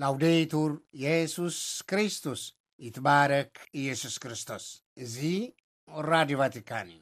ላውዴቱር የሱስ ክርስቶስ፣ ይትባረክ ኢየሱስ ክርስቶስ። እዚ ራዲዮ ቫቲካን እዩ።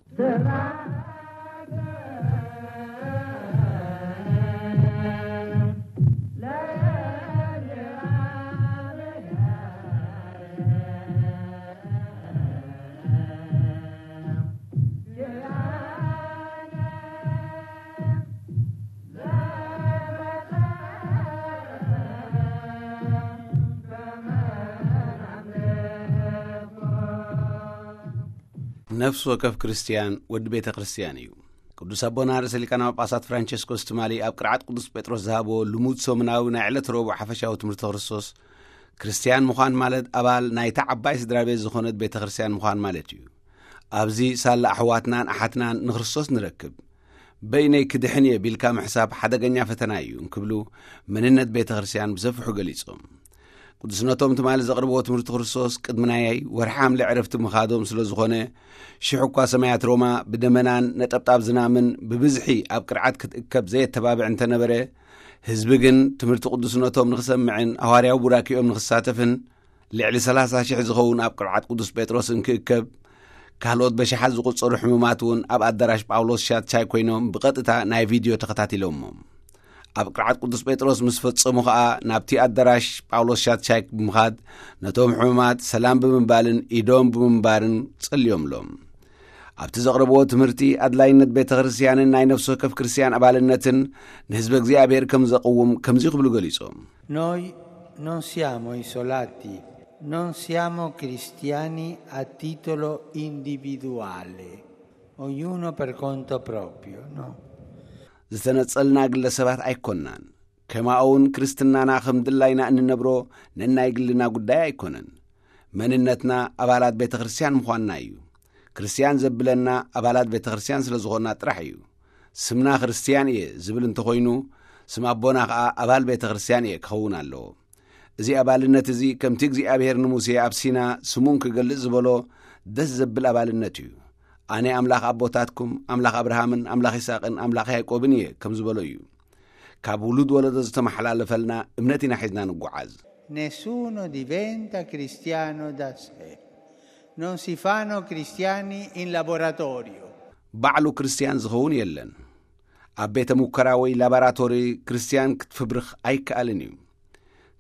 ነፍሲ ወከፍ ክርስትያን ወዲ ቤተ ክርስትያን እዩ። ቅዱስ ኣቦና ርእሰ ሊቃነ ጳጳሳት ፍራንቸስኮስ ትማሊ ኣብ ቅርዓት ቅዱስ ጴጥሮስ ዝሃቦ ልሙድ ሰሙናዊ ናይ ዕለት ረቡዕ ሓፈሻዊ ትምህርቲ ክርስቶስ፣ ክርስትያን ምዃን ማለት ኣባል ናይታ ዓባይ ስድራ ቤት ዝኾነት ቤተ ክርስትያን ምዃን ማለት እዩ። ኣብዚ ሳላ ኣሕዋትናን ኣሓትናን ንክርስቶስ ንረክብ። በይነይ ክድሕን እየ ቢልካ ምሕሳብ ሓደገኛ ፈተና እዩ እንክብሉ መንነት ቤተ ክርስትያን ብሰፊሑ ገሊጾም። ቅዱስነቶም ትማሊ ዘቕርብዎ ትምህርቲ ክርስቶስ ቅድሚ ናይ ወርሒ ሓምለ ዕረፍቲ ምኻዶም ስለ ዝኾነ፣ ሽሕ እኳ ሰማያት ሮማ ብደመናን ነጠብጣብ ዝናምን ብብዝሒ ኣብ ቅርዓት ክትእከብ ዘየተባብዕ እንተነበረ፣ ህዝቢ ግን ትምህርቲ ቅዱስነቶም ንኽሰምዕን ሃዋርያዊ ቡራኪኦም ንኽሳተፍን ልዕሊ ሰላሳ ሽሕ ዝኸውን ኣብ ቅርዓት ቅዱስ ጴጥሮስ እንክእከብ፣ ካልኦት በሽሓት ዝቑጸሩ ሕሙማት እውን ኣብ ኣዳራሽ ጳውሎስ ሻትሻይ ኮይኖም ብቐጥታ ናይ ቪድዮ ተኸታቲሎሞ። ኣብ ቅርዓት ቅዱስ ጴጥሮስ ምስ ፈጸሙ ኸኣ ናብቲ ኣዳራሽ ጳውሎስ ሻትሻይ ብምኻድ ነቶም ሕሙማት ሰላም ብምባልን ኢዶም ብምንባርን ጸልዮምሎም። ኣብቲ ዘቕረብዎ ትምህርቲ ኣድላይነት ቤተ ክርስትያንን ናይ ነፍሲ ወከፍ ክርስትያን ኣባልነትን ንህዝቢ እግዚኣብሔር ከም ዘቕውም ከምዚ ክብሉ ገሊጾም። Noi non siamo isolati, non siamo cristiani a titolo individuale, ognuno per conto proprio, no? ዝተነጸልና ግለሰባት ኣይኮናን። ከማኡውን ክርስትናና ከም ድላይና እንነብሮ ነናይ ግልና ጉዳይ ኣይኮነን። መንነትና ኣባላት ቤተ ክርስትያን ምዃንና እዩ። ክርስትያን ዘብለና ኣባላት ቤተ ክርስትያን ስለ ዝኾንና ጥራሕ እዩ። ስምና ክርስትያን እየ ዝብል እንተኾይኑ፣ ስም ኣቦና ኸኣ ኣባል ቤተ ክርስትያን እየ ክኸውን ኣለዎ። እዚ ኣባልነት እዚ ከምቲ እግዚኣብሔር ንሙሴ ኣብ ሲና ስሙን ክገልጽ ዝበሎ ደስ ዘብል ኣባልነት እዩ። ኣነ ኣምላኽ ኣቦታትኩም፣ ኣምላኽ ኣብርሃምን ኣምላኽ ይስሐቅን ኣምላኽ ያዕቆብን እየ ከም ዝበሎ እዩ። ካብ ውሉድ ወለዶ ዝተመሓላለፈልና እምነት ኢና ሒዝና ንጓዓዝ። Nessuno diventa cristiano da sé. Non si fanno cristiani in laboratorio. ባዕሉ ክርስትያን ዝኸውን የለን። ኣብ ቤተ ሙከራ ወይ ላባራቶሪ ክርስትያን ክትፍብርኽ ኣይከኣልን እዩ።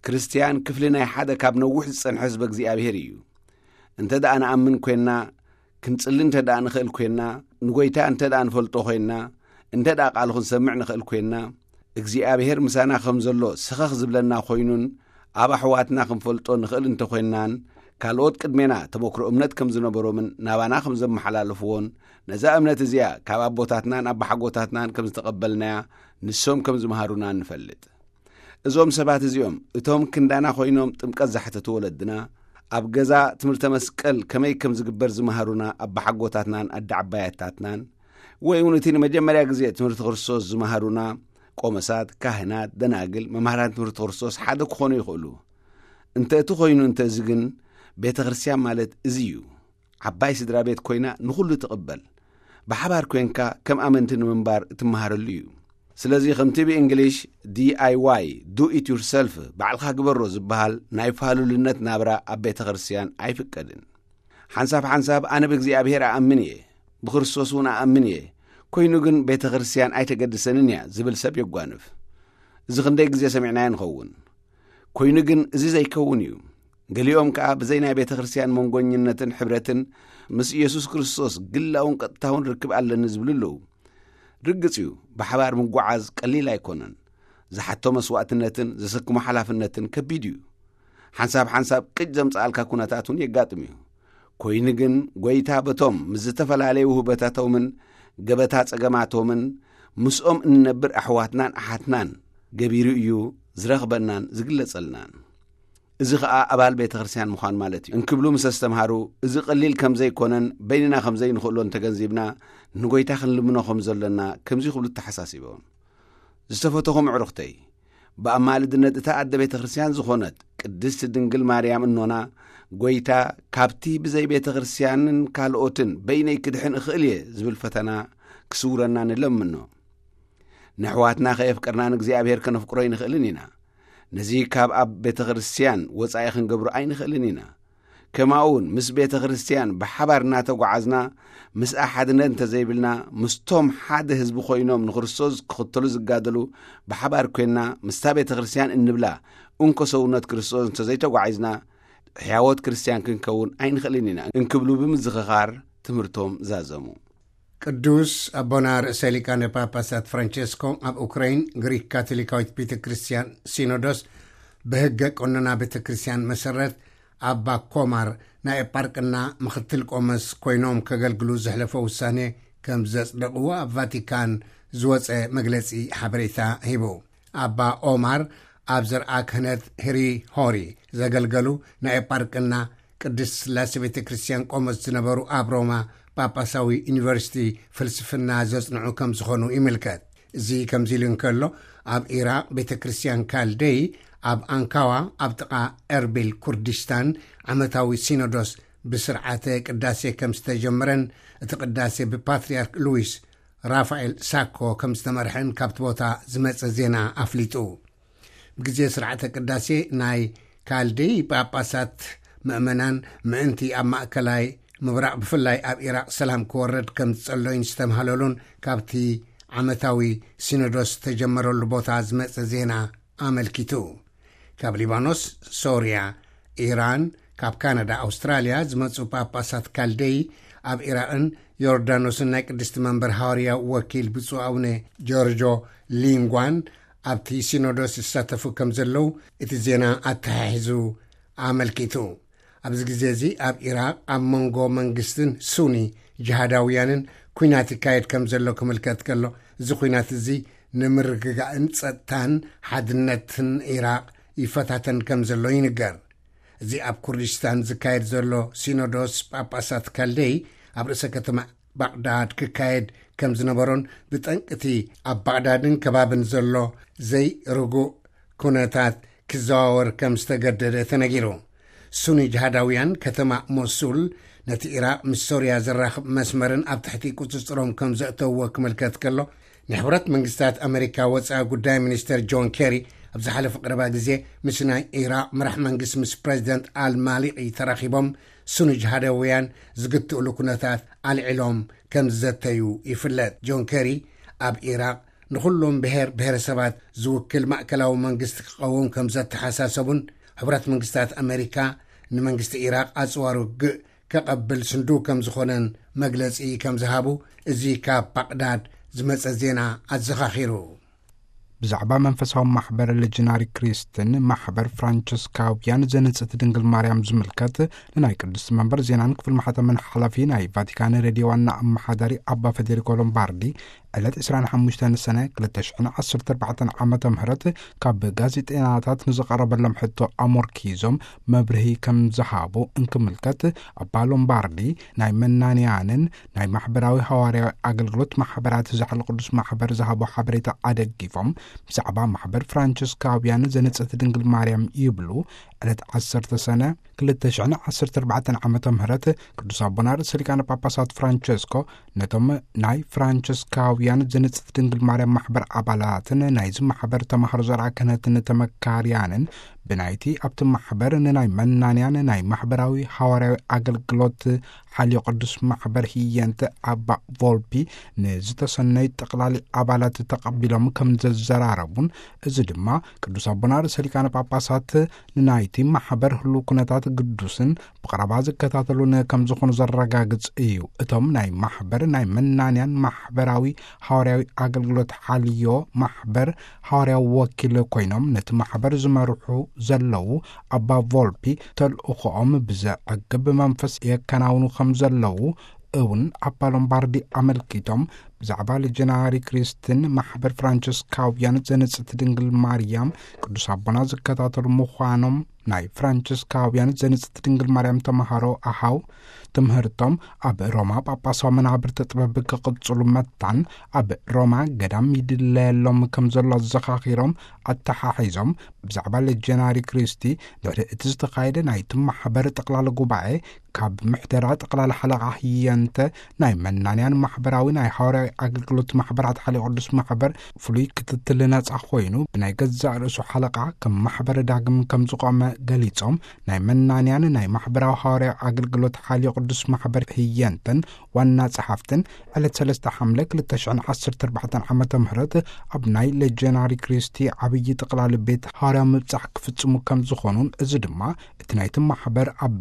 ክርስትያን ክፍሊ ናይ ሓደ ካብ ነዊሕ ዝጸንሐ ህዝበ እግዚኣብሔር እዩ። እንተ ደኣ ንኣምን ኮይንና፣ ክንጽሊ እንተ ደኣ ንኽእል ኮይንና፣ ንጎይታ እንተ ደኣ ንፈልጦ ኮይንና፣ እንተ ደኣ ቃሉ ክንሰምዕ ንኽእል ኮይንና፣ እግዚኣብሔር ምሳና ከም ዘሎ ሰኸኽ ዝብለና ኮይኑን ኣብ ኣሕዋትና ክንፈልጦ ንኽእል እንተ ኮይንናን፣ ካልኦት ቅድሜና ተመክሮ እምነት ከም ዝነበሮምን ናባና ከም ዘመሓላለፍዎን፣ ነዛ እምነት እዚኣ ካብ ኣቦታትናን ኣባሓጎታትናን ከም ዝተቐበልናያ ንሶም ከም ዝመሃሩና ንፈልጥ። እዞም ሰባት እዚኦም እቶም ክንዳና ኮይኖም ጥምቀት ዘሕተቱ ወለድና፣ ኣብ ገዛ ትምህርተ መስቀል ከመይ ከም ዝግበር ዝመሃሩና ኣባሓጎታትናን ኣደ ዓባያታትናን፣ ወይ እውን እቲ ንመጀመርያ ግዜ ትምህርቲ ክርስቶስ ዝመሃሩና ቆመሳት፣ ካህናት፣ ደናግል፣ መምሃራን ትምህርቲ ክርስቶስ ሓደ ክኾኑ ይኽእሉ። እንተ እቲ ኮይኑ እንተ እዚ ግን ቤተ ክርስትያን ማለት እዚ እዩ። ዓባይ ስድራ ቤት ኮይና ንኹሉ ትቕበል። ብሓባር ኮንካ ከም ኣመንቲ ንምንባር እትመሃረሉ እዩ። ስለዚ ከምቲ ብእንግሊሽ ዲ ኣይ ዋይ፣ do it yourself፣ ባዕልኻ ግበሮ ዝበሃል ናይ ፋሉልነት ናብራ ኣብ ቤተ ክርስትያን ኣይፍቀድን። ሓንሳብ ሓንሳብ ኣነ ብእግዚኣብሔር ኣኣምን እየ፣ ብክርስቶስ እውን ኣኣምን እየ፣ ኮይኑ ግን ቤተ ክርስትያን ኣይተገድሰንን እያ ዝብል ሰብ የጓንፍ። እዚ ክንደይ ግዜ ሰሚዕናዮ ንኸውን። ኮይኑ ግን እዚ ዘይከውን እዩ። ገሊኦም ከኣ ብዘይ ናይ ቤተ ክርስትያን መንጎኝነትን ሕብረትን ምስ ኢየሱስ ክርስቶስ ግላውን ቀጥታውን ርክብ ኣለኒ ዝብሉ ኣለዉ። ርግጽ እዩ፣ ብሓባር ምጓዓዝ ቀሊል ኣይኮነን። ዝሓቶ መስዋእትነትን ዘሰክሞ ሓላፍነትን ከቢድ እዩ። ሓንሳብ ሓንሳብ ቅጭ ዘምጽኣልካ ኩነታት እውን የጋጥም እዩ። ኮይኑ ግን ጎይታ በቶም ምስ ዝተፈላለዩ ውህበታቶምን ገበታ ጸገማቶምን ምስኦም እንነብር ኣሕዋትናን ኣሓትናን ገቢሩ እዩ ዝረኽበናን ዝግለጸልናን። እዚ ኸኣ ኣባል ቤተ ክርስትያን ምዃን ማለት እዩ እንክብሉ ምስ ኣስተምሃሩ፣ እዚ ቀሊል ከም ዘይኮነን በይንና ከም ዘይንኽእሎን ተገንዚብና፣ ንጎይታ ክንልምኖ ከም ዘሎና ከምዚ ክብሉ ተሓሳሲቦም። ዝተፈተኹም ኣዕሩኽተይ፣ ብኣማልድነት እታ ኣደ ቤተ ክርስትያን ዝኾነት ቅድስቲ ድንግል ማርያም እኖና፣ ጎይታ ካብቲ ብዘይ ቤተ ክርስትያንን ካልኦትን በይነይ ክድሕን እኽእል እየ ዝብል ፈተና ክስውረና ንለምኖ። ነሕዋትና ከየፍቀርና ንእግዚኣብሔር ከነፍቅሮ ኣይንኽእልን ኢና። ነዚ ካብ ኣብ ቤተ ክርስቲያን ወጻኢ ክንገብሮ ኣይንኽእልን ኢና። ከማኡ እውን ምስ ቤተ ክርስቲያን ብሓባር እናተጓዓዝና፣ ምስኣ ሓድነት እንተዘይብልና፣ ምስቶም ሓደ ህዝቢ ኮይኖም ንክርስቶስ ክኽተሉ ዝጋደሉ ብሓባር ኮይንና ምስታ ቤተ ክርስቲያን እንብላ እንኮ ሰውነት ክርስቶስ እንተዘይተጓዒዝና፣ ሕያዎት ክርስቲያን ክንከውን ኣይንኽእልን ኢና እንክብሉ ብምዝኽኻር ትምህርቶም ዛዘሙ። ቅዱስ ኣቦና ርእሰ ሊቃነ ጳጳሳት ፍራንቸስኮ ኣብ ኡክራይን ግሪክ ካቶሊካዊት ቤተ ክርስቲያን ሲኖዶስ ብሕገ ቀኖና ቤተ ክርስቲያን መሰረት ኣባ ኮማር ናይ ኤጳርቅና ምኽትል ቆመስ ኮይኖም ከገልግሉ ዘሕለፎ ውሳኔ ከም ዘጽደቕዎ ኣብ ቫቲካን ዝወጸ መግለጺ ሓበሬታ ሂቡ። ኣባ ኦማር ኣብ ዘርኣ ክህነት ህሪ ሆሪ ዘገልገሉ ናይ ኤጳርቅና ቅድስት ስላሴ ቤተ ክርስቲያን ቆመስ ዝነበሩ ኣብ ሮማ ጳጳሳዊ ዩኒቨርሲቲ ፍልስፍና ዘጽንዑ ከም ዝኾኑ ይምልከት። እዚ ከምዚ ኢሉ እንከሎ፣ ኣብ ኢራቕ ቤተ ክርስቲያን ካልደይ ኣብ ኣንካዋ ኣብ ጥቓ ኤርቢል ኩርዲስታን ዓመታዊ ሲኖዶስ ብስርዓተ ቅዳሴ ከም ዝተጀመረን እቲ ቅዳሴ ብፓትርያርክ ሉዊስ ራፋኤል ሳኮ ከም ዝተመርሐን ካብቲ ቦታ ዝመጸ ዜና ኣፍሊጡ። ብግዜ ስርዓተ ቅዳሴ ናይ ካልደይ ጳጳሳት ምእመናን ምእንቲ ኣብ ማእከላይ ምብራቕ ብፍላይ ኣብ ኢራቕ ሰላም ክወርድ ከም ዝጸለዩን ዝተምሃለሉን ካብቲ ዓመታዊ ሲኖዶስ ዝተጀመረሉ ቦታ ዝመጸ ዜና ኣመልኪቱ። ካብ ሊባኖስ፣ ሶርያ፣ ኢራን፣ ካብ ካናዳ፣ ኣውስትራልያ ዝመጹ ጳጳሳት ካልደይ ኣብ ኢራቕን ዮርዳኖስን ናይ ቅድስቲ መንበር ሃዋርያ ወኪል ብፁዕ ኣቡነ ጆርጆ ሊንጓን ኣብቲ ሲኖዶስ ይሳተፉ ከም ዘለዉ እቲ ዜና ኣተሓሒዙ ኣመልኪቱ። ኣብዚ ግዜ እዚ ኣብ ኢራቕ ኣብ መንጎ መንግስትን ሱኒ ጅሃዳውያንን ኲናት ይካየድ ከም ዘሎ ክምልከት ከሎ፣ እዚ ኲናት እዚ ንምርግጋእን ጸጥታን ሓድነትን ኢራቕ ይፈታተን ከም ዘሎ ይንገር። እዚ ኣብ ኩርዲስታን ዝካየድ ዘሎ ሲኖዶስ ጳጳሳት ካልደይ ኣብ ርእሰ ከተማ ባቕዳድ ክካየድ ከም ዝነበሮን ብጠንቅቲ ኣብ ባቕዳድን ከባብን ዘሎ ዘይርጉእ ኩነታት ክዘዋወር ከም ዝተገደደ ተነጊሩ። ሱኒ ጅሃዳውያን ከተማ ሞሱል ነቲ ኢራቕ ምስ ሶርያ ዘራኽብ መስመርን ኣብ ትሕቲ ቁጽጽሮም ከም ዘእተውዎ ክምልከት ከሎ፣ ንሕቡራት መንግስታት ኣመሪካ ወጻኢ ጉዳይ ሚኒስተር ጆን ኬሪ ኣብ ዝሓለፈ ቀረባ ግዜ ምስ ናይ ኢራቕ መራሕ መንግስቲ ምስ ፕሬዚደንት ኣልማሊቂ ተራኺቦም ሱኒ ጅሃዳውያን ዝግትእሉ ኩነታት ኣልዒሎም ከም ዝዘተዩ ይፍለጥ። ጆን ኬሪ ኣብ ኢራቕ ንኹሎም ብሔር ብሔረሰባት ዝውክል ማእከላዊ መንግስቲ ክቐውም ከም ዘተሓሳሰቡን፣ ሕቡራት መንግስታት ኣመሪካ ንመንግስቲ ኢራቕ ኣጽዋር ውግእ ከቐብል ስንዱ ከም ዝኾነን መግለጺ ከም ዝሃቡ እዚ ካብ ባቕዳድ ዝመጸ ዜና ኣዘኻኺሩ። ብዛዕባ መንፈሳዊ ማሕበር ሌጀናሪ ክሪስትን ማሕበር ፍራንቸስካውያን ዘንጽቲ ድንግል ማርያም ዝምልከት ንናይ ቅድስቲ መንበር ዜናን ክፍል ማሕተምን ሓላፊ ናይ ቫቲካን ሬድዮ ዋና ኣመሓዳሪ ኣባ ፌዴሪኮ ሎምባርዲ ዕለት ዕስራን ሓሙሽተን ሰነ ክልተ ሽሕን ዓሰርተ ኣርባዕተን ዓመተ ምህረት ካብ ጋዜጠኛታት ንዝቐረበሎም ሕቶ ኣሞርኪዞም መብርሂ ከም ዝሃቡ እንክምልከት፣ ኣባ ሎምባርዲ ናይ መናንያንን ናይ ማሕበራዊ ሃዋርያዊ ኣገልግሎት ማሕበራት ዛሕሊ ቅዱስ ማሕበር ዝሃቦ ሓበሬታ ኣደጊፎም፣ ብዛዕባ ማሕበር ፍራንቸስካውያን ዘንጽቲ ድንግል ማርያም ይብሉ። ዕለት ዓሰርተ ሰነ ክልተ ሽሕን ዓሰርተ ኣርባዕተን ዓመተ ምህረት ቅዱስ ኣቦና ርእሰ ሊቃነ ጳጳሳት ፍራንቸስኮ ነቶም ናይ ፍራንቸስካውያን ዘንጽቲ ድንግል ማርያም ማሕበር ኣባላትን ናይዚ ማሕበር ተማሃሮ ዘርኣ ክህነትን ተመካርያንን ብናይቲ ኣብቲ ማሕበር ንናይ መናንያን ናይ ማሕበራዊ ሃዋርያዊ ኣገልግሎት ሓልዮ ቅዱስ ማሕበር ህየንተ ኣባ ቮልፒ ንዝተሰነዩ ጠቕላሊ ኣባላት ተቐቢሎም ከም ዘዘራረቡን፣ እዚ ድማ ቅዱስ ኣቦና ርእሰ ሊቃነ ጳጳሳት ንናይቲ ማሕበር ህሉው ኩነታት ግዱስን ብቐረባ ዝከታተሉን ከም ዝኾኑ ዘረጋግጽ እዩ። እቶም ናይ ማሕበር ናይ መናንያን ማሕበራዊ ሃዋርያዊ ኣገልግሎት ሓልዮ ማሕበር ሃዋርያዊ ወኪል ኮይኖም ነቲ ማሕበር ዝመርሑ ዘለዉ ኣባ ቮልፒ ተልእኾኦም ብዘዕግብ መንፈስ የከናውኑ ከም ዘለዉ እውን ኣባ ሎምባርዲ ኣመልኪቶም፣ ብዛዕባ ሌጀናሪ ክሪስትን ማሕበር ፍራንቸስካውያን ዘንጽቲ ድንግል ማርያም ቅዱስ ኣቦና ዝከታተሉ ምዃኖም፣ ናይ ፍራንቸስካውያን ዘንጽቲ ድንግል ማርያም ተምሃሮ ኣሃው ትምህርቶም ኣብ ሮማ ጳጳሳዊ መናብርቲ ጥበብ ክቕጽሉ መታን ኣብ ሮማ ገዳም ይድለየሎም ከም ዘሎ ኣዘኻኺሮም ኣተሓሒዞም፣ ብዛዕባ ሌጀናሪ ክሪስቲ ድሕሪ እቲ ዝተኻየደ ናይቲ ማሕበር ጠቕላሊ ጉባኤ ካብ ምሕደራ ጠቕላሊ ሓለቓ ህየንተ ናይ መናንያን ማሕበራዊ ናይ ሃዋርያዊ ኣገልግሎት ማሕበራት ሓልዮ ቅዱስ ማሕበር ፍሉይ ክትትል ነጻ ኮይኑ፣ ብናይ ገዛእ ርእሱ ሓለቓ ከም ማሕበር ዳግም ከም ዝቖመ ገሊጾም፣ ናይ መናንያን ናይ ማሕበራዊ ሃዋርያዊ ኣገልግሎት ሓልዮ ቅዱስ ማሕበር ህየንትን ዋና ጸሓፍትን ዕለት ሰለስተ ሓምለ ክልተ ሽሕን ዓሰርተ ኣርባዕተን ዓመተ ምህረት ኣብ ናይ ሌጀናሪ ክሪስቲ ዓብዪ ጥቕላል ቤት ሃዋርያዊ ምብጻሕ ክፍጽሙ ከም ዝኾኑን፣ እዚ ድማ እቲ ናይቲ ማሕበር ኣብ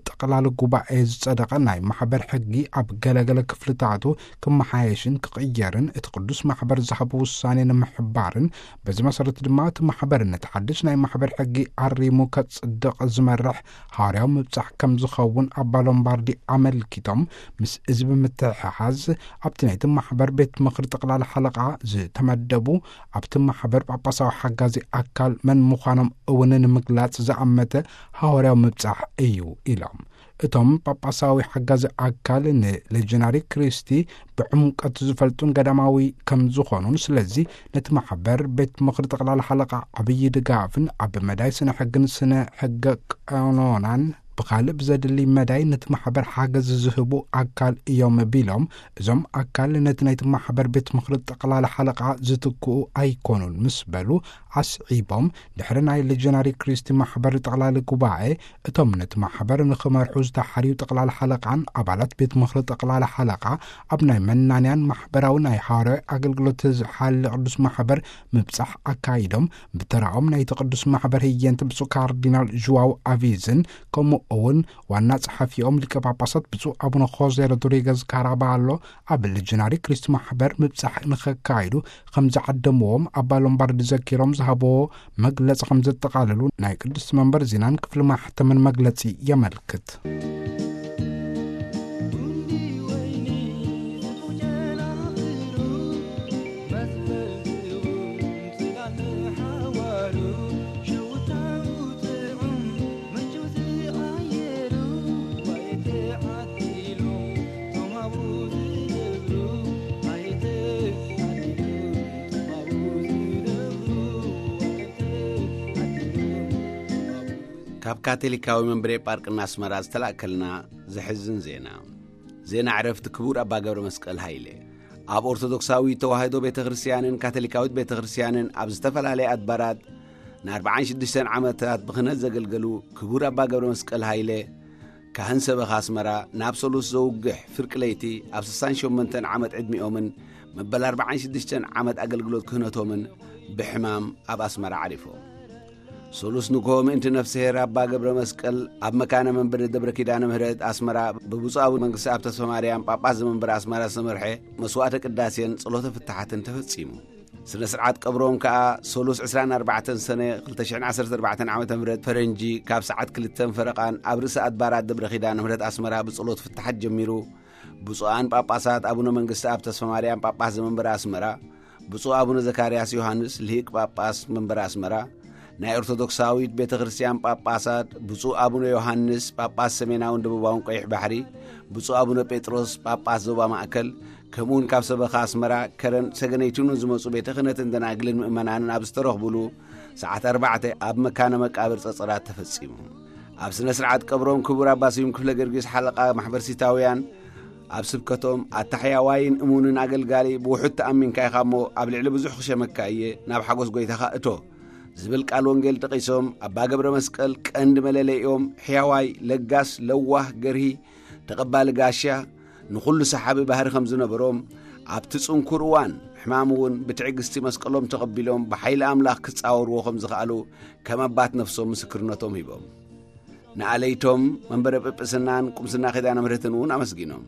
ጠቕላሊ ጉባኤ ዝጸደቐ ናይ ማሕበር ሕጊ ኣብ ገለገለ ክፍልታቱ ክመሓየሽን ክቕየርን፣ እቲ ቅዱስ ማሕበር ዝሃቦ ውሳኔ ንምሕባርን፣ በዚ መሰረት ድማ እቲ ማሕበር ነቲ ሓድሽ ናይ ማሕበር ሕጊ ኣሪሙ ከጽድቕ ዝመርሕ ሃዋርያዊ ምብጻሕ ከም ዝኸውን ኣባ ሎምባርዲ ኣመልኪቶም፣ ምስ እዚ ብምትሕሓዝ ኣብቲ ናይቲ ማሕበር ቤት ምኽሪ ጠቕላሊ ሓለቓ ዝተመደቡ ኣብቲ ማሕበር ጳጳሳዊ ሓጋዚ ኣካል መን ምዃኖም እውን ንምግላጽ ዝኣመተ ሃዋርያዊ ምብጻሕ እዩ ኢሎም። እቶም ጳጳሳዊ ሓጋዚ ኣካል ንሌጀናሪ ክሪስቲ ብዕምቀት ዝፈልጡን ገዳማዊ ከም ዝኾኑን፣ ስለዚ ነቲ ማሕበር ቤት ምኽሪ ጠቕላሊ ሓለቓ ዓብዪ ድጋፍን ኣብ መዳይ ስነ ሕግን ስነ ሕገ ቀኖናን ብኻልእ ብዘድሊ መዳይ ነቲ ማሕበር ሓገዝ ዝህቡ ኣካል እዮም ቢሎም፣ እዞም ኣካል ነቲ ናይቲ ማሕበር ቤት ምኽሪ ጠቕላሊ ሓለቓ ዝትክኡ ኣይኮኑን ምስ በሉ ኣስዒቦም፣ ድሕሪ ናይ ሌጀናሪ ክሪስቲ ማሕበር ጠቕላሊ ጉባኤ እቶም ነቲ ማሕበር ንኽመርሑ ዝተሓርዩ ጠቕላሊ ሓለቓን ኣባላት ቤት ምኽሪ ጠቕላሊ ሓለቓ ኣብ ናይ መናንያን ማሕበራዊ ናይ ሃዋርያዊ ኣገልግሎት ዝሓሊ ቅዱስ ማሕበር ምብጻሕ ኣካይዶም፣ ብተራኦም ናይቲ ቅዱስ ማሕበር ህየንት ብፁዕ ካርዲናል ዥዋው ኣቪዝን ከምኡ እውን ዋና ጸሓፊኦም ሊቀ ጳጳሳት ብፁዕ ኣቡነ ኾዜ ሮድሪገዝ ካራባሎ ኣብ ሌጀናሪ ክሪስቲ ማሕበር ምብጻሕ ንኸካይዱ ከም ዝዓደምዎም ኣባ ሎምባርዲ ዘኪሮም ዝሃብዎ መግለጺ ከም ዘጠቓለሉ ናይ ቅድስቲ መንበር ዜናን ክፍሊ ማሕተምን መግለጺ የመልክት። ካብ ካቶሊካዊ መንበረ ጳርቅና ኣስመራ ዝተላእከልና ዘሕዝን ዜና። ዜና ዕረፍቲ ክቡር ኣባ ገብረ መስቀል ሃይለ። ኣብ ኦርቶዶክሳዊት ተዋህዶ ቤተ ክርስቲያንን ካቶሊካዊት ቤተ ክርስቲያንን ኣብ ዝተፈላለያ ኣድባራት ንኣርባዓን ሽዱሽተን ዓመታት ብክህነት ዘገልገሉ ክቡር ኣባ ገብረ መስቀል ሃይለ፣ ካህን ሰበኻ ኣስመራ፣ ናብ ሰሉስ ዘውግሕ ፍርቂ ለይቲ ኣብ ስሳን ሸሞንተን ዓመት ዕድሚኦምን መበል ኣርባዓን ሽዱሽተን ዓመት ኣገልግሎት ክህነቶምን ብሕማም ኣብ ኣስመራ ዓሪፎም። ሰሉስ ንግሆ ምእንቲ ነፍስሄር ኣባ ገብረ መስቀል ኣብ መካነ መንበሪ ደብረ ኪዳነ ምህረት ኣስመራ ብብፁዕ ኣቡነ መንግስቲ ኣብ ተስፋ ማርያም ጳጳስ ዘመንበረ ኣስመራ ዝተመርሐ መስዋዕተ ቅዳሴን ጸሎተ ፍትሓትን ተፈጺሙ። ስነ ስርዓት ቀብሮም ከኣ ሰሉስ ዕስራን ኣርባዕተን ሰነ ክልተ ሽሕን ዓሰርተ ኣርባዕተን ዓመተ ምህረት ፈረንጂ ካብ ሰዓት ክልተን ፈረቓን ኣብ ርእሰ ኣድባራት ደብረ ኪዳነ ምህረት ኣስመራ ብጸሎት ፍትሓት ጀሚሩ። ብፁዓን ጳጳሳት ኣቡነ መንግስቲ ኣብ ተስፋ ማርያም ጳጳስ ዘመንበረ ኣስመራ፣ ብፁዕ ኣቡነ ዘካርያስ ዮሃንስ ልሂቅ ጳጳስ መንበረ ኣስመራ፣ ናይ ኦርቶዶክሳዊት ቤተ ክርስቲያን ጳጳሳት ብፁዕ ኣቡነ ዮሃንስ ጳጳስ ሰሜናውን ደቡባውን ቀይሕ ባሕሪ፣ ብፁዕ ኣቡነ ጴጥሮስ ጳጳስ ዞባ ማእከል፣ ከምኡውን ካብ ሰበኻ ኣስመራ፣ ከረን፣ ሰገነይቱን ዝመጹ ቤተ ክህነትን ደናግልን ምእመናንን ኣብ ዝተረኽቡሉ ሰዓት ኣርባዕተ ኣብ መካነ መቃብር ጸጸራት ተፈጺሙ። ኣብ ስነ ስርዓት ቀብሮም ክቡር ኣባ ስዩም ክፍለ ጊዮርጊስ ሓለቓ ማሕበር ሲታውያን ኣብ ስብከቶም ኣታ ሕያዋይን እሙንን ኣገልጋሊ ብውሑድ ተኣሚንካ ኢኻ እሞ ኣብ ልዕሊ ብዙሕ ክሸመካ እየ፣ ናብ ሓጎስ ጎይታኻ እቶ ዝብል ቃል ወንጌል ጠቒሶም ኣባ ገብረ መስቀል ቀንዲ መለለይኦም ሕያዋይ፣ ለጋስ፣ ለዋህ፣ ገርሂ፣ ተቐባሊ ጋሻ፣ ንኹሉ ሰሓቢ ባህሪ ከም ዝነበሮም፣ ኣብቲ ጽንኩር እዋን ሕማም እውን ብትዕግስቲ መስቀሎም ተቐቢሎም ብሓይሊ ኣምላኽ ክጻወርዎ ከም ዝኸኣሉ ከም ኣባት ነፍሶም ምስክርነቶም ሂቦም። ንኣለይቶም መንበረ ጵጵስናን ቁምስና ኪዳነ ምሕረትን እውን ኣመስጊኖም።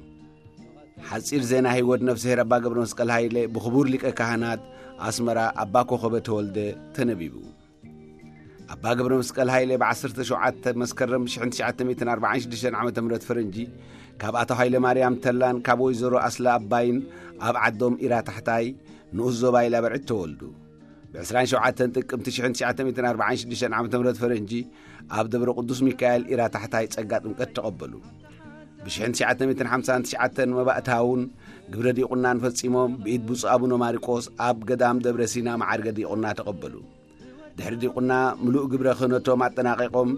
ሓጺር ዜና ህይወት ነፍስሄር ኣባ ገብረ መስቀል ሃይለ ብኽቡር ሊቀ ካህናት ኣስመራ ኣባ ኮኸበ ተወልደ ተነቢቡ። ኣባ ገብረ መስቀል ሃይለ ብ ዓሰርተ ሸውዓተ መስከረም ሽሕን ትሽዓተ ሚእትን ኣርባዓን ሽዱሽተን ዓመተ ምህረት ፈረንጂ ካብ ኣቶ ሃይለ ማርያም ተላን ካብ ወይዘሮ ኣስላ ኣባይን ኣብ ዓዶም ኢራ ታሕታይ ንኡስ ዞባ ኢላ በርዕድ ተወልዱ። ብ ዕስራን ሸውዓተን ጥቅምቲ ሽሕን ትሽዓተ ሚእትን ኣርባዓን ሽዱሽተን ዓመተ ምህረት ፈረንጂ ኣብ ደብረ ቅዱስ ሚካኤል ኢራ ታሕታይ ጸጋ ጥምቀት ተቐበሉ። ብ ሽሕን ትሽዓተ ሚእትን ሓምሳን ትሽዓተን መባእታውን ግብረ ዲቁናን ፈጺሞም ብኢድ ብፁዕ ኣቡነ ማርቆስ ኣብ ገዳም ደብረ ሲና መዓርገ ዲቁና ተቐበሉ። ድሕሪ ዲቁና ምሉእ ግብረ ክህነቶም ኣጠናቒቖም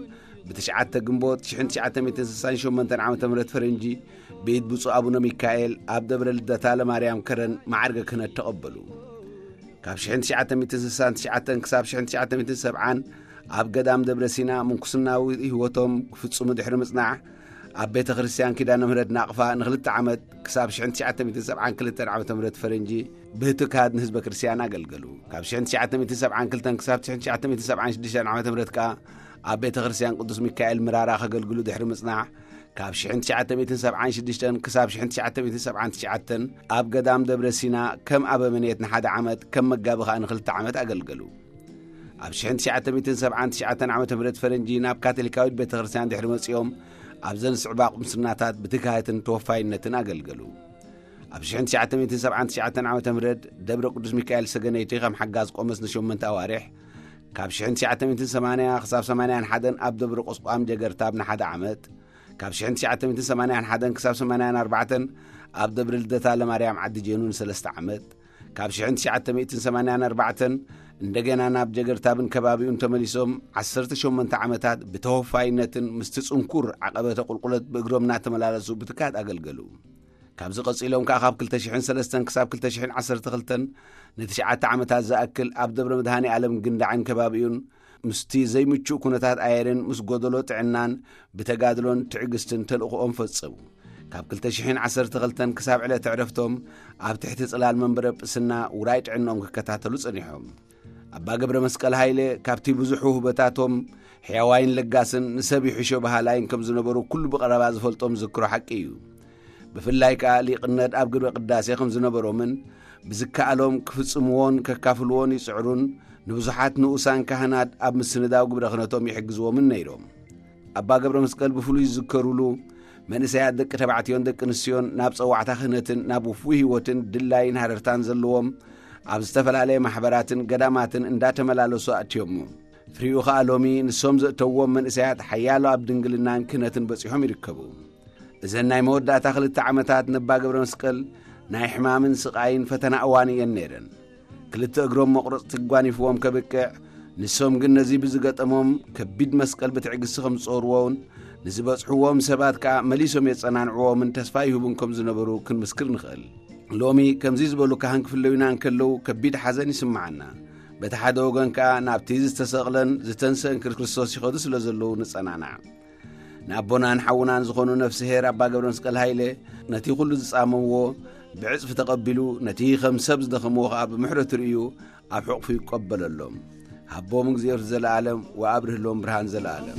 ብ9 ግንቦት 1968 ዓ.ም ፈረንጂ ብኢድ ብፁዕ ኣቡነ ሚካኤል ኣብ ደብረ ልደታ ለማርያም ከረን ማዕርገ ክህነት ተቐበሉ። ካብ 1969 ክሳብ 1970 ኣብ ገዳም ደብረ ሲና ምንኩስናዊ ህይወቶም ክፍጽሙ ድሕሪ ምጽናዕ፣ ኣብ ቤተ ክርስቲያን ኪዳነ ምህረት ናቕፋ ንኽልተ ዓመት ክሳብ 1972 ዓ.ም ፈረንጂ ብህትካድ ንህዝበ ክርስቲያን ኣገልገሉ። ካብ 1972 ክሳብ 1976 ዓ.ም ከኣ ኣብ ቤተ ክርስቲያን ቅዱስ ሚካኤል ምራራ ከገልግሉ ድሕሪ ምጽናሕ፣ ካብ 1976 ክሳብ 1979 ኣብ ገዳም ደብረ ሲና ከም ኣበምኔት ንሓደ ዓመት፣ ከም መጋቢ ከኣ ንኽልተ ዓመት ኣገልገሉ። ኣብ 1979 ዓ.ም ፈረንጂ ናብ ካቶሊካዊት ቤተ ክርስቲያን ድሕሪ መጺኦም፣ ኣብዘን ዝስዕባ ቁምስናታት ብትግሃትን ተወፋይነትን ኣገልገሉ። ኣብ 1979 ዓ.ም ደብረ ቅዱስ ሚካኤል ሰገነይቲ ከም ሓጋዝ ቆመስ ንሸሞንተ ኣዋርሕ፣ ካብ 1980 ክሳብ 81 ኣብ ደብረ ቁስቋም ጀገርታብ ንሓደ ዓመት፣ ካብ 1981 ክሳብ 84 ኣብ ደብረ ልደታ ለማርያም ዓዲ ጄኑ ንሰለስተ ዓመት፣ ካብ 1984 እንደገና ናብ ጀገርታብን ከባቢኡን ተመሊሶም 18 ዓመታት ብተወፋይነትን ምስቲ ጽንኩር ዓቐበተ ቁልቁለት ብእግሮም እናተመላለሱ ብትካት ኣገልገሉ። ካብዚ ቀጺሎም ከኣ ካብ 2003 ክሳብ 2012 ንትሽዓተ ዓመታት ዝኣክል ኣብ ደብረ መድሃኔ ዓለም ግንዳዕን ከባቢኡን ምስቲ ዘይምቹእ ኩነታት ኣየርን ምስ ጎደሎ ጥዕናን ብተጋድሎን ትዕግስትን ተልእኾኦም ፈጸሙ። ካብ 2012 ክሳብ ዕለተ ዕረፍቶም ኣብ ትሕቲ ጽላል መንበረ ጵስና ውራይ ጥዕናኦም ክከታተሉ ጸኒሖም። ኣባ ገብረ መስቀል ሃይለ ካብቲ ብዙሕ ውህበታቶም ሕያዋይን ለጋስን ንሰብ ይሕሾ በሃላይን ከም ዝነበሩ ኩሉ ብቐረባ ዝፈልጦም ዝክሮ ሓቂ እዩ። ብፍላይ ከኣ ሊቕነት ኣብ ግብረ ቅዳሴ ከም ዝነበሮምን ብዝከኣሎም ክፍጽምዎን ከካፍልዎን ይጽዕሩን ንብዙሓት ንኡሳን ካህናት ኣብ ምስንዳው ግብረ ክህነቶም ይሕግዝዎምን ነይሮም። ኣባ ገብረ መስቀል ብፍሉይ ዝዝከሩሉ መንእሰያት ደቂ ተባዕትዮን ደቂ ኣንስትዮን ናብ ጸዋዕታ ክህነትን ናብ ውፉይ ህይወትን ድላይን ሃረርታን ዘለዎም ኣብ ዝተፈላለየ ማሕበራትን ገዳማትን እንዳተመላለሱ ኣእትዮሞ። ፍሪኡ ኸኣ ሎሚ ንሶም ዘእተዎም መንእሰያት ሓያሎ ኣብ ድንግልናን ክህነትን በጺሖም ይርከቡ። እዘን ናይ መወዳእታ ክልተ ዓመታት ነባ ገብረ መስቀል ናይ ሕማምን ስቓይን ፈተና እዋን እየን ነይረን። ክልተ እግሮም መቑረጽቲ ጓኒፍዎም ከብቅዕ፣ ንሶም ግን ነዚ ብዝገጠሞም ከቢድ መስቀል ብትዕግስቲ ከም ዝጾርዎን ንዝበጽሕዎም ሰባት ከኣ መሊሶም የጸናንዕዎምን ተስፋ ይህቡን ከም ዝነበሩ ክንምስክር ንኽእል። ሎሚ ከምዚ ዝበሉ ካህን ክፍለዩና እንከለዉ ከቢድ ሓዘን ይስምዓና። በቲ ሓደ ወገን ከኣ ናብቲ ዝተሰቕለን ዝተንሰእን ክርስቶስ ይኸዱ ስለ ዘለዉ ንጸናናዕ። ንኣቦናን ሓውናን ዝኾኑ ነፍስሄር ኣባ ገብረ መስቀል ሃይለ ነቲ ኩሉ ዝጻመዎ ብዕጽፊ ተቐቢሉ፣ ነቲ ከም ሰብ ዝደኸምዎ ከኣ ብምሕረት ርእዩ ኣብ ሕቕፉ ይቀበለሎም። ሃቦም እግዚኣብሔር ዘለኣለም ወኣብርህሎም ብርሃን ዘለኣለም።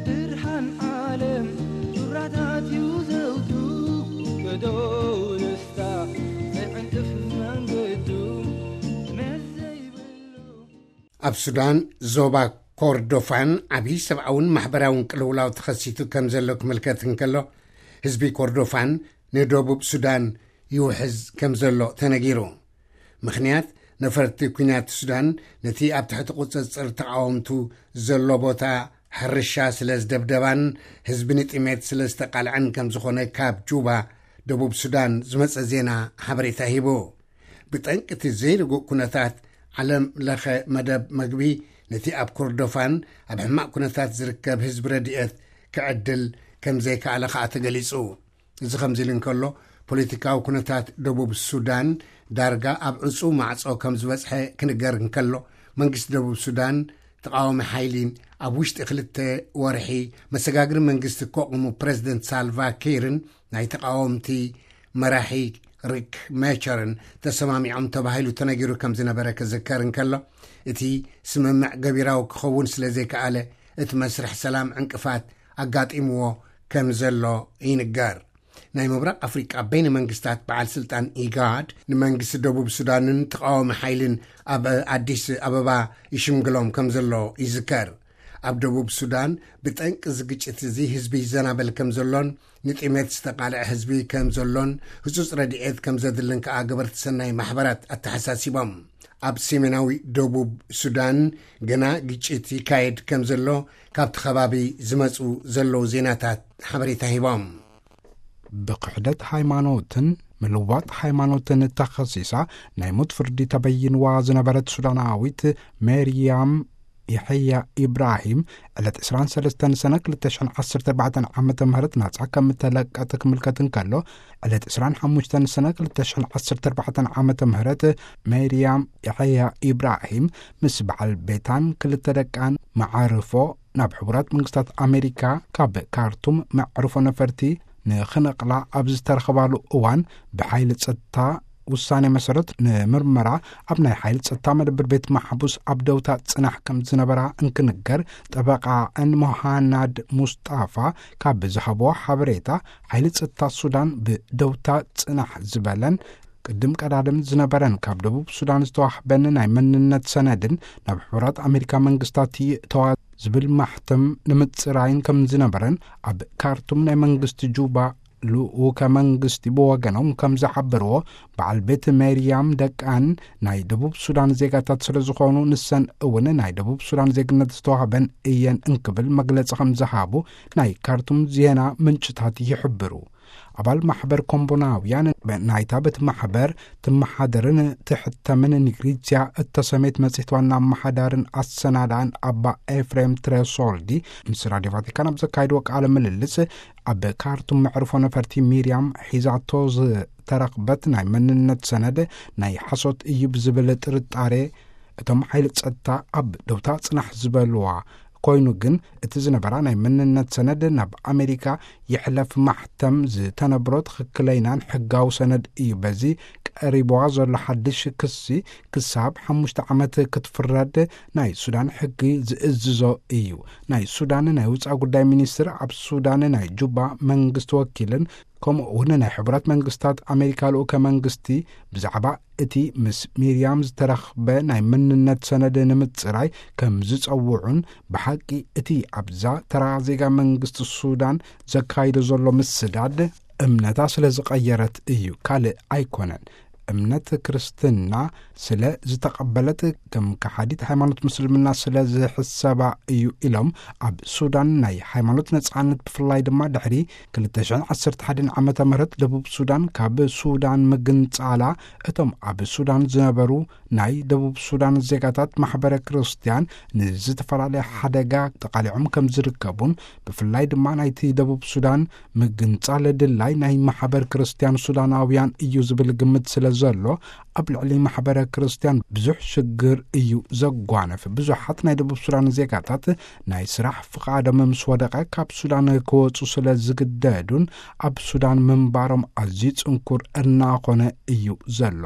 ብርሃን ዓለም ጩራታት እዩ ዘውቱ፣ ገዶ ንስታ ዘይዕንቅፍ መንገዱ መስ ዘይብሉ። ኣብ ሱዳን ዞባ ኮርዶፋን ዓብዪ ሰብኣውን ማሕበራውን ቅልውላው ተኸሲቱ ከም ዘሎ ክምልከት እንከሎ፣ ህዝቢ ኮርዶፋን ንደቡብ ሱዳን ይውሕዝ ከም ዘሎ ተነጊሩ። ምኽንያት፣ ነፈርቲ ኲናት ሱዳን ነቲ ኣብ ትሕቲ ቁጽጽር ተቓወምቱ ዘሎ ቦታ ሕርሻ ስለ ዝደብደባን ህዝቢ ንጥሜት ስለ ዝተቓልዐን ከም ዝኾነ ካብ ጁባ፣ ደቡብ ሱዳን ዝመጸ ዜና ሓበሬታ ሂቡ። ብጠንቂ እቲ ዘይርጉእ ኩነታት፣ ዓለም ለኸ መደብ መግቢ ነቲ ኣብ ኮርዶፋን ኣብ ሕማቕ ኩነታት ዝርከብ ህዝቢ ረድኤት ክዕድል ከም ዘይከኣለ ከኣ ተገሊጹ። እዚ ከምዚ ኢሉ እንከሎ፣ ፖለቲካዊ ኩነታት ደቡብ ሱዳን ዳርጋ ኣብ ዕጹው ማዕጾ ከም ዝበጽሐ ክንገር እንከሎ፣ መንግስቲ ደቡብ ሱዳን ተቓዋሚ ሓይሊ ኣብ ውሽጢ ክልተ ወርሒ መሰጋግሪ መንግስቲ ከቑሙ ፕረዚደንት ሳልቫ ኪርን ናይ ተቓወምቲ መራሒ ሪክ ሜቸርን ተሰማሚዖም ተባሂሉ ተነጊሩ ከም ዝነበረ ክዝከር እንከሎ፣ እቲ ስምምዕ ገቢራዊ ክኸውን ስለ ዘይከኣለ፣ እቲ መስርሕ ሰላም ዕንቅፋት ኣጋጢምዎ ከም ዘሎ ይንገር። ናይ ምብራቕ ኣፍሪቃ በይነ መንግስታት በዓል ስልጣን ኢጋድ ንመንግስቲ ደቡብ ሱዳንን ተቃዋሚ ሓይልን ኣብ ኣዲስ ኣበባ ይሽምግሎም ከም ዘሎ ይዝከር። ኣብ ደቡብ ሱዳን ብጠንቂ እዚ ግጭት እዚ ህዝቢ ይዘናበል ከም ዘሎን ንጥሜት ዝተቃልዐ ህዝቢ ከም ዘሎን ህጹጽ ረድኤት ከም ዘድልን ከኣ ገበርቲ ሰናይ ማሕበራት ኣተሓሳሲቦም። ኣብ ሰሜናዊ ደቡብ ሱዳን ግና ግጭት ይካየድ ከም ዘሎ ካብቲ ከባቢ ዝመጹ ዘለዉ ዜናታት ሓበሬታ ሂቦም። ብክሕደት ሃይማኖትን ምልዋጥ ሃይማኖትን ተኸሲሳ ናይ ሞት ፍርዲ ተበይንዋ ዝነበረት ሱዳናዊት ሜርያም የሕያ ኢብራሂም ዕለት ዕስራን ሰለስተን ሰነ ክልተ ሽሕን ዓሰርተ ኣርባዕተን ዓመተ ምህረት ናጻ ከም እተለቀት ክምልከት እንከሎ፣ ዕለት ዕስራን ሓሙሽተን ሰነ ክልተ ሽሕን ዓሰርተ ኣርባዕተን ዓመተ ምህረት ሜርያም የሕያ ኢብራሂም ምስ በዓል ቤታን ክልተ ደቃን መዓርፎ ናብ ሕቡራት መንግስታት ኣሜሪካ ካብ ካርቱም መዕርፎ ነፈርቲ ንኽነቕላ ኣብ ዝተረኸባሉ እዋን፣ ብሓይሊ ጸጥታ ውሳኔ መሰረት ንምርመራ ኣብ ናይ ሓይሊ ጸጥታ መደብር ቤት ማሕቡስ ኣብ ደውታ ጽናሕ ከም ዝነበራ እንክንገር፣ ጠበቃኣን ሞሃናድ ሙስጣፋ ካብ ዝሃብዎ ሓበሬታ፣ ሓይሊ ጸጥታ ሱዳን ብደውታ ጽናሕ ዝበለን ቅድም ቀዳድም ዝነበረን ካብ ደቡብ ሱዳን ዝተዋህበን ናይ መንነት ሰነድን ናብ ሕቡራት ኣሜሪካ መንግስታት ይእተዋ ዝብል ማሕተም ንምጽራይን ከም ዝነበረን ኣብ ካርቱም ናይ መንግስቲ ጁባ ልኡከ መንግስቲ ብወገኖም ከም ዝሓበርዎ፣ በዓል ቤት ሜርያም ደቃን ናይ ደቡብ ሱዳን ዜጋታት ስለ ዝኾኑ፣ ንሰን እውን ናይ ደቡብ ሱዳን ዜግነት ዝተዋህበን እየን እንክብል መግለጺ ከም ዝሃቡ ናይ ካርቱም ዜና ምንጭታት ይሕብሩ። ኣባል ማሕበር ኮምቦናውያን ናይታ በቲ ማሕበር ትመሓደርን ትሕተምን ኒግሪዝያ እተሰሜት መጽሔት ዋና ኣመሓዳርን ኣሰናዳእን ኣባ ኤፍሬም ትሬሶልዲ ምስ ራድዮ ቫቲካን ኣብ ዘካየድዎ ቃለ ምልልስ፣ ኣብ ካርቱም መዕርፎ ነፈርቲ ሚርያም ሒዛቶ ዝተረኽበት ናይ መንነት ሰነድ ናይ ሓሶት እዩ ብዝብል ጥርጣሬ፣ እቶም ሓይሊ ጸጥታ ኣብ ደውታ ጽናሕ ዝበልዋ ኮይኑ፣ ግን እቲ ዝነበራ ናይ መንነት ሰነድ ናብ ኣሜሪካ ይሕለፍ ማሕተም ዝተነብሮ ትኽክለይናን ሕጋዊ ሰነድ እዩ። በዚ ቀሪብዋ ዘሎ ሓድሽ ክሲ ክሳብ ሓሙሽተ ዓመት ክትፍረድ ናይ ሱዳን ሕጊ ዝእዝዞ እዩ። ናይ ሱዳን ናይ ውጻእ ጉዳይ ሚኒስትር፣ ኣብ ሱዳን ናይ ጁባ መንግስቲ ወኪልን ከምኡ እውን ናይ ሕቡራት መንግስታት ኣሜሪካ ልኡከ መንግስቲ ብዛዕባ እቲ ምስ ሚርያም ዝተረኽበ ናይ መንነት ሰነድ ንምጽራይ ከም ዝጸውዑን፣ ብሓቂ እቲ ኣብዛ ተራ ዜጋ መንግስቲ ሱዳን ዘካይዶ ዘሎ ምስዳድ እምነታ ስለ ዝቐየረት እዩ፣ ካልእ ኣይኮነን። እምነት ክርስትና ስለ ዝተቐበለት ከም ከሓዲት ሃይማኖት ምስልምና ስለ ዝሕሰባ እዩ ኢሎም፣ ኣብ ሱዳን ናይ ሃይማኖት ነጻነት ብፍላይ ድማ ድሕሪ ክልተ ሽሕን ዓሰርተ ሓደን ዓመተ ምህረት ደቡብ ሱዳን ካብ ሱዳን ምግንጻላ፣ እቶም ኣብ ሱዳን ዝነበሩ ናይ ደቡብ ሱዳን ዜጋታት ማሕበረ ክርስትያን ንዝተፈላለየ ሓደጋ ተቓሊዖም ከም ዝርከቡን፣ ብፍላይ ድማ ናይቲ ደቡብ ሱዳን ምግንጻል ድላይ ናይ ማሕበር ክርስትያን ሱዳናውያን እዩ ዝብል ግምት ስለ ዘሎ፣ ኣብ ልዕሊ ማሕበረ ክርስትያን ብዙሕ ሽግር እዩ ዘጓነፍ። ብዙሓት ናይ ደቡብ ሱዳን ዜጋታት ናይ ስራሕ ፍቓዶም ምስ ወደቐ ካብ ሱዳን ክወጹ ስለ ዝግደዱን ኣብ ሱዳን ምንባሮም ኣዝዩ ጽንኩር እናኾነ እዩ ዘሎ።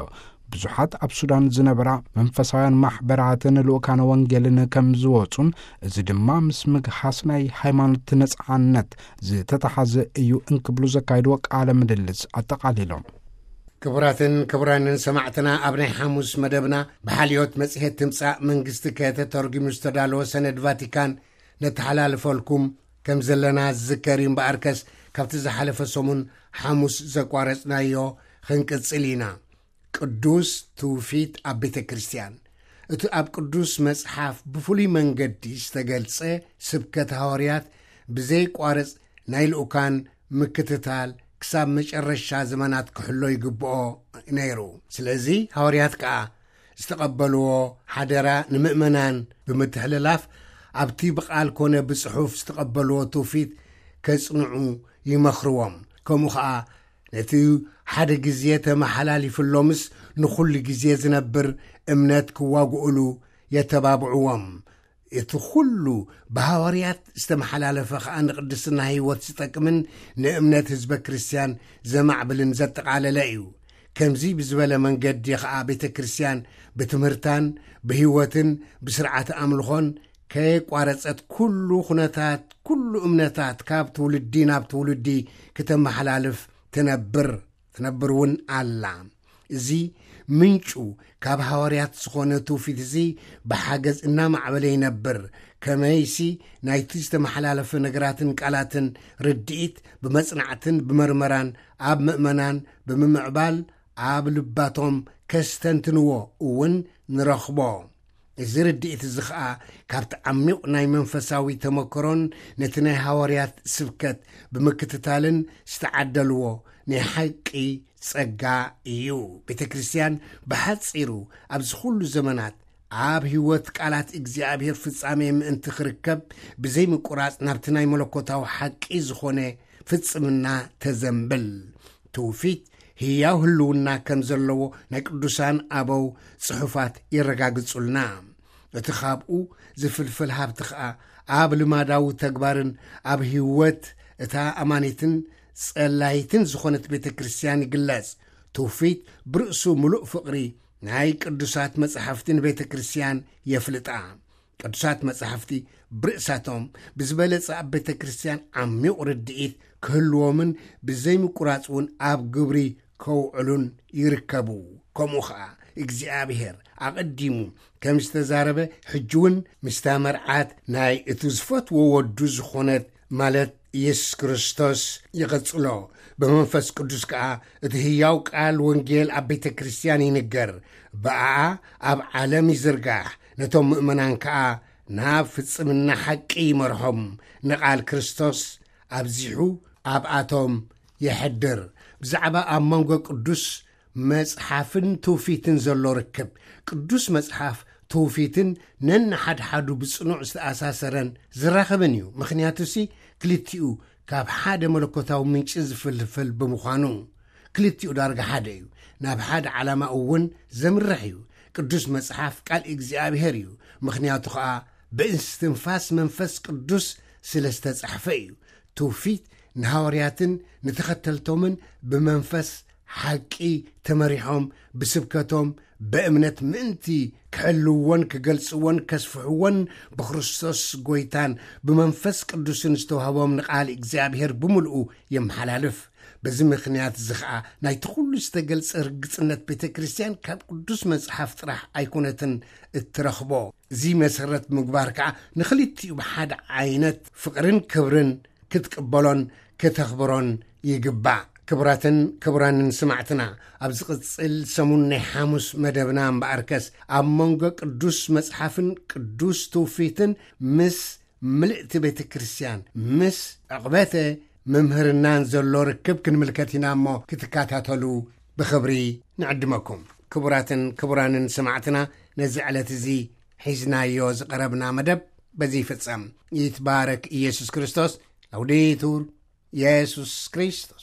ብዙሓት ኣብ ሱዳን ዝነበራ መንፈሳውያን ማሕበራትን ልኡካነ ወንጌልን ከም ዝወጹን፣ እዚ ድማ ምስ ምግሃስ ናይ ሃይማኖት ነጻነት ዝተተሓዘ እዩ እንክብሉ ዘካየድዎ ቃለ ምልልስ ኣጠቓሊሎም። ክቡራትን ክቡራንን ሰማዕትና፣ ኣብ ናይ ሓሙስ መደብና ብሓልዮት መጽሔት ትምጻእ መንግስቲ ከተተርጉሙ ዝተዳለወ ሰነድ ቫቲካን ነተሓላልፈልኩም ከም ዘለና ዝዝከር እዩ። እምበኣርከስ ካብቲ ዝሓለፈ ሰሙን ሓሙስ ዘቋረጽናዮ ክንቅጽል ኢና። ቅዱስ ትውፊት ኣብ ቤተ ክርስቲያን። እቲ ኣብ ቅዱስ መጽሓፍ ብፍሉይ መንገዲ ዝተገልጸ ስብከት ሃዋርያት ብዘይቋርጽ ናይ ልኡካን ምክትታል ክሳብ መጨረሻ ዘመናት ክሕሎ ይግብኦ ነይሩ። ስለዚ ሃዋርያት ከኣ ዝተቐበልዎ ሓደራ ንምእመናን ብምትሕልላፍ፣ ኣብቲ ብቓል ኮነ ብጽሑፍ ዝተቐበልዎ ትውፊት ከጽንዑ ይመኽርዎም። ከምኡ ኸኣ ነቲ ሓደ ግዜ ተመሓላሊፍሎምስ ንኹሉ ግዜ ዝነብር እምነት ክዋግኡሉ የተባብዕዎም። እቲ ኹሉ ብሃዋርያት ዝተመሓላለፈ ኸኣ ንቅድስና ህይወት ዝጠቅምን ንእምነት ህዝበ ክርስትያን ዘማዕብልን ዘጠቓለለ እዩ። ከምዚ ብዝበለ መንገዲ ኸኣ ቤተ ክርስትያን ብትምህርታን ብህይወትን ብስርዓተ ኣምልኾን ከየቋረጸት ኩሉ ኩነታት፣ ኩሉ እምነታት ካብ ትውልዲ ናብ ትውልዲ ክተመሓላልፍ ትነብር ትነብር እውን ኣላ። እዚ ምንጩ ካብ ሃዋርያት ዝኾነ ትውፊት እዚ ብሓገዝ እናማዕበለ ይነብር። ከመይሲ ናይቲ ዝተመሓላለፈ ነገራትን ቃላትን ርድኢት ብመጽናዕትን ብመርመራን ኣብ ምእመናን ብምምዕባል ኣብ ልባቶም ከስተንትንዎ እውን ንረኽቦ። እዚ ርድኢት እዚ ኸኣ ካብቲ ዓሚቕ ናይ መንፈሳዊ ተመክሮን ነቲ ናይ ሃዋርያት ስብከት ብምክትታልን ዝተዓደልዎ ናይ ሓቂ ጸጋ እዩ። ቤተ ክርስቲያን ብሓጺሩ ኣብዚ ኩሉ ዘመናት ኣብ ህይወት ቃላት እግዚኣብሔር ፍጻሜ ምእንቲ ክርከብ ብዘይምቁራጽ ናብቲ ናይ መለኮታዊ ሓቂ ዝኾነ ፍጽምና ተዘንብል። ትውፊት ህያው ህልውና ከም ዘለዎ ናይ ቅዱሳን ኣበው ጽሑፋት የረጋግጹልና። እቲ ካብኡ ዝፍልፍል ሃብቲ ኸኣ ኣብ ልማዳዊ ተግባርን ኣብ ህይወት እታ ኣማኒትን ጸላይትን ዝኾነት ቤተ ክርስቲያን ይግለጽ። ትውፊት ብርእሱ ምሉእ ፍቕሪ ናይ ቅዱሳት መጻሕፍቲ ንቤተ ክርስቲያን የፍልጣ። ቅዱሳት መጻሕፍቲ ብርእሳቶም ብዝበለጸ ኣብ ቤተ ክርስቲያን ዓሚቕ ርድኢት ክህልዎምን ብዘይምቁራጽ እውን ኣብ ግብሪ ከውዕሉን ይርከቡ። ከምኡ ኸኣ እግዚኣብሔር ኣቐዲሙ ከም ዝተዛረበ ሕጂ እውን ምስታ መርዓት ናይ እቱ ዝፈትዎ ወዱ ዝኾነት ማለት ኢየሱስ ክርስቶስ ይቐጽሎ። ብመንፈስ ቅዱስ ከኣ እቲ ህያው ቃል ወንጌል ኣብ ቤተ ክርስቲያን ይንገር። ብኣኣ ኣብ ዓለም ይዝርጋሕ። ነቶም ምእመናን ከኣ ናብ ፍጽምና ሓቂ ይመርሖም። ንቓል ክርስቶስ ኣብዚሑ ኣብኣቶም የሕድር። ብዛዕባ ኣብ መንጎ ቅዱስ መጽሓፍን ትውፊትን ዘሎ ርክብ። ቅዱስ መጽሓፍ ትውፊትን ነንሓድሓዱ ብጽኑዕ ዝተኣሳሰረን ዝራኸብን እዩ። ምኽንያቱሲ ክልቲኡ ካብ ሓደ መለኮታዊ ምንጪ ዝፍልፍል ብምዃኑ፣ ክልቲኡ ዳርጋ ሓደ እዩ። ናብ ሓደ ዓላማ እውን ዘምርሕ እዩ። ቅዱስ መጽሓፍ ቃል እግዚኣብሔር እዩ። ምኽንያቱ ኸኣ ብእስትንፋስ መንፈስ ቅዱስ ስለ ዝተጻሕፈ እዩ። ትውፊት ንሃዋርያትን ንተኸተልቶምን ብመንፈስ ሓቂ ተመሪሖም ብስብከቶም ብእምነት ምእንቲ ክሕልዎን ክገልጽዎን ከስፍሕዎን ብክርስቶስ ጎይታን ብመንፈስ ቅዱስን ዝተዋህቦም ንቓል እግዚኣብሔር ብምልኡ የመሓላልፍ። በዚ ምኽንያት እዚ ኸኣ ናይቲ ኩሉ ዝተገልጸ ርግጽነት ቤተ ክርስቲያን ካብ ቅዱስ መጽሓፍ ጥራሕ ኣይኮነትን እትረኽቦ። እዚ መሰረት ምግባር ከኣ ንኽልቲኡ ብሓደ ዓይነት ፍቕርን ክብርን ክትቅበሎን ከተኽብሮን ይግባእ። ክቡራትን ክቡራንን ስማዕትና፣ ኣብ ዝቕጽል ሰሙን ናይ ሓሙስ መደብና እምበኣርከስ ኣብ መንጎ ቅዱስ መጽሓፍን ቅዱስ ትውፊትን ምስ ምልእቲ ቤተ ክርስቲያን ምስ ዕቕበተ መምህርናን ዘሎ ርክብ ክንምልከት ኢና እሞ ክትከታተሉ ብኽብሪ ንዕድመኩም። ክቡራትን ክቡራንን ስማዕትና፣ ነዚ ዕለት እዚ ሒዝናዮ ዝቐረብና መደብ በዚ ይፍጸም። ይትባረክ ኢየሱስ ክርስቶስ። ላውዴቱር ኢየሱስ ክርስቶስ።